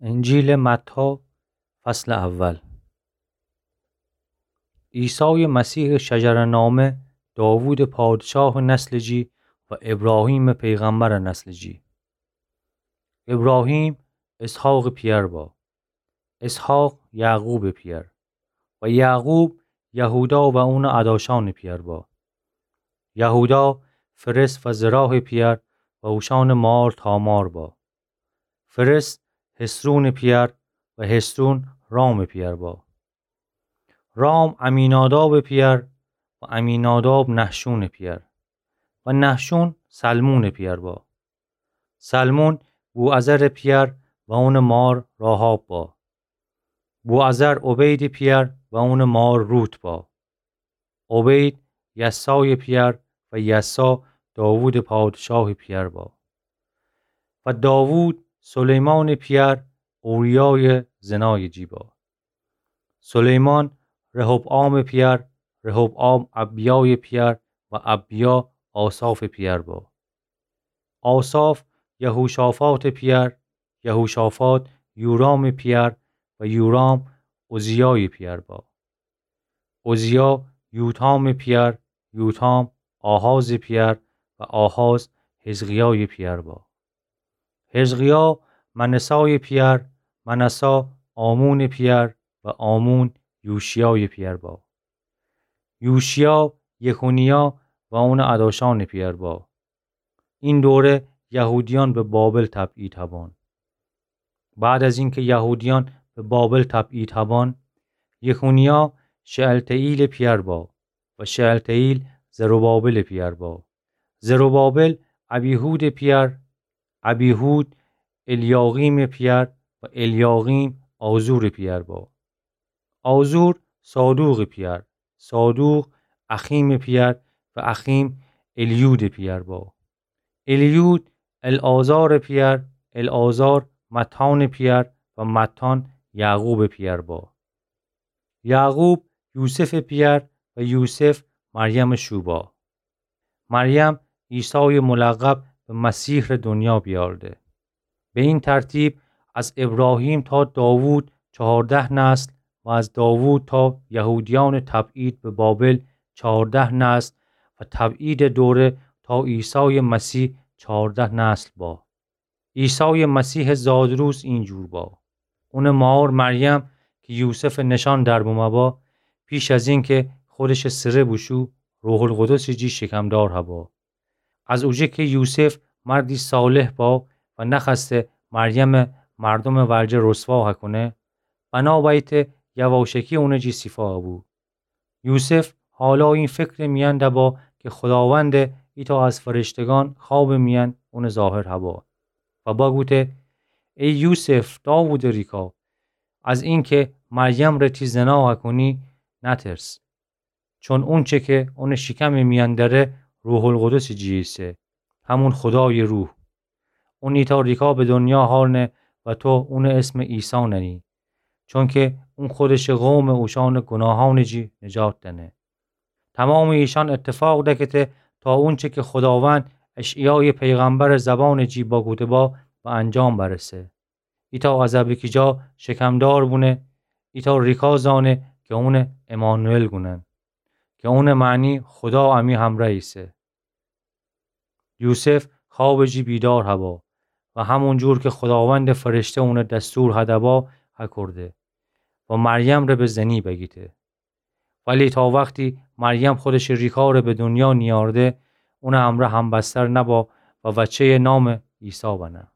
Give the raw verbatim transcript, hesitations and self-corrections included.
انجیلٚ متی، فصلٚ اول. عیسایٚ مسیحٚ شجره‌نامه داوودٚ پادشاهٚ نسلٚ جی و ابراهیمٚ پیغمبرٚ نسلٚ جی. ابراهیم اسحاقٚ پئر با، اسحاق یعقوبٚ پئر و یعقوب یهودا و اونٚ اداشأنٚ پئر با. یهودا فرس و زراحٚ پئر و اوشأنٚ مار تامار با. فرس حصرونٚ پئر و حصرون رامٚ پئر با. رام عمینادابٚ پئر و عمیناداب نحشونٚ پئر و نحشون سلمونٚ پئر با. سلمون بوعزرٚ پئر و اونٚ مار راحاب با. بوعزر عبیدٚ پئر و اونٚ مار روت با. عبید یسایٚ پئر و یسا داوودٚ پادشاهٚ پئر با. و داوود سلیمانٚ پئر اوریایٚ زنایٚ جی با. سلیمان رحبعامٚ پئر، رحبعام ابیایٚ پئر و ابیا آسافٚ پئر با. آساف یهوشافاطٚ پئر، یهوشافاط یورامٚ پئر و یورام عزیایٚ پئر با. عزیا یوتامٚ پئر، یوتام آحازٚ پئر و آحاز حزقیایٚ پئر با. حزقیا منسایٚ پئر، منسا آمونٚ پئر و آمون یوشیایٚ پئر با. یوشیا یکونیا و اونٚ اداشأنٚ پئر با. این دوره یهودیأن به بابل تبعید هبان. بعد از اینکه یهودیأن به بابل تبعید هبان، یکونیا شعلتییلٚ پئر با و شعلتییل زروبابلٚ پئر با. زروبابل ابیهودٚ پئر، ابیهود الیاقیمٚ پئر و الیاقیم آزورٚ پئر با. آزور صادوقٚ پئر، صادوق اخیمٚ پئر و اخیم الیودٚ پئر با. الیود العازارٚ پئر، العازار متانٚ پئر و متان یعقوبٚ پئر با. یعقوب یوسفٚ پئر و یوسف مریمٚ شو با. مریم عیسایٚ ملقب به مسیح ره دنیا بیارده. به این ترتیب از ابراهیم تا داوود چهارده نسل و از داوود تا یهودیأنٚ تبعید به بابل چهارده نسل و تبعیدٚ دوره تا عیسایٚ مسیح چهارده نسل با. عیسایٚ مسیحٚ زادروز این جور با. اونٚ مار مریم کی یوسفٚ نشأن در بمه با، پیش از اینکه خودشٚ سره بوشو، روح‌القدسٚ جی شکمدار هبا. از اوجه کی یوسف مردی صالح با و نخوأسته مریمٚ مردومٚ ورجه رسوا هکونه، بنا بأیته یواشکی اونٚ جی سیفا هبو. یوسف حالا این فکرٚ میأن دبا کی خوداوند ایتا از فرشتگان خوابٚ میأن اونٚ ظاهر هبا و بگوته: ای یوسف، داوودٚ ریکا، از اینکه مریم ره تی زنا هکونی نترس، چون اونچه کی اونٚ شکمٚ میأن دره روح‌القدسٚ جی ایسه، همون خودایٚ روح. اون ایتا ریکا به دنیا هارنه و تو اونٚ اسم عیسی ننی، چونکه اون خودشٚ قومٚ اوشأنٚ گناهأنٚ جی نجات دأنه. تمامٚ ایشأن اتفاق دکته تا اونچه کی خوداوند اشعیایٚ پیغمبرٚ زبانٚ جی بگوده با به انجام برسه: ایتا از ا بیکیجا شکمدار بونه، ایتا ریکا زأنه کی اونه امانوئل گونن، کی اونٚ معنی خودا امی همرأ ایسه. یوسف خوابٚ جی بیدار هبا و همون جور کی خوداوندٚ فرشته اونه دستور هدبا هکورده و مریم ره به زنی بگیته. ولی تا وختی مریم خودشٚ ریکا ره به دنیا نیارده، اونٚ همرأ همبستر نبا و وچه‌یٚ نامٚ عیسی بنه.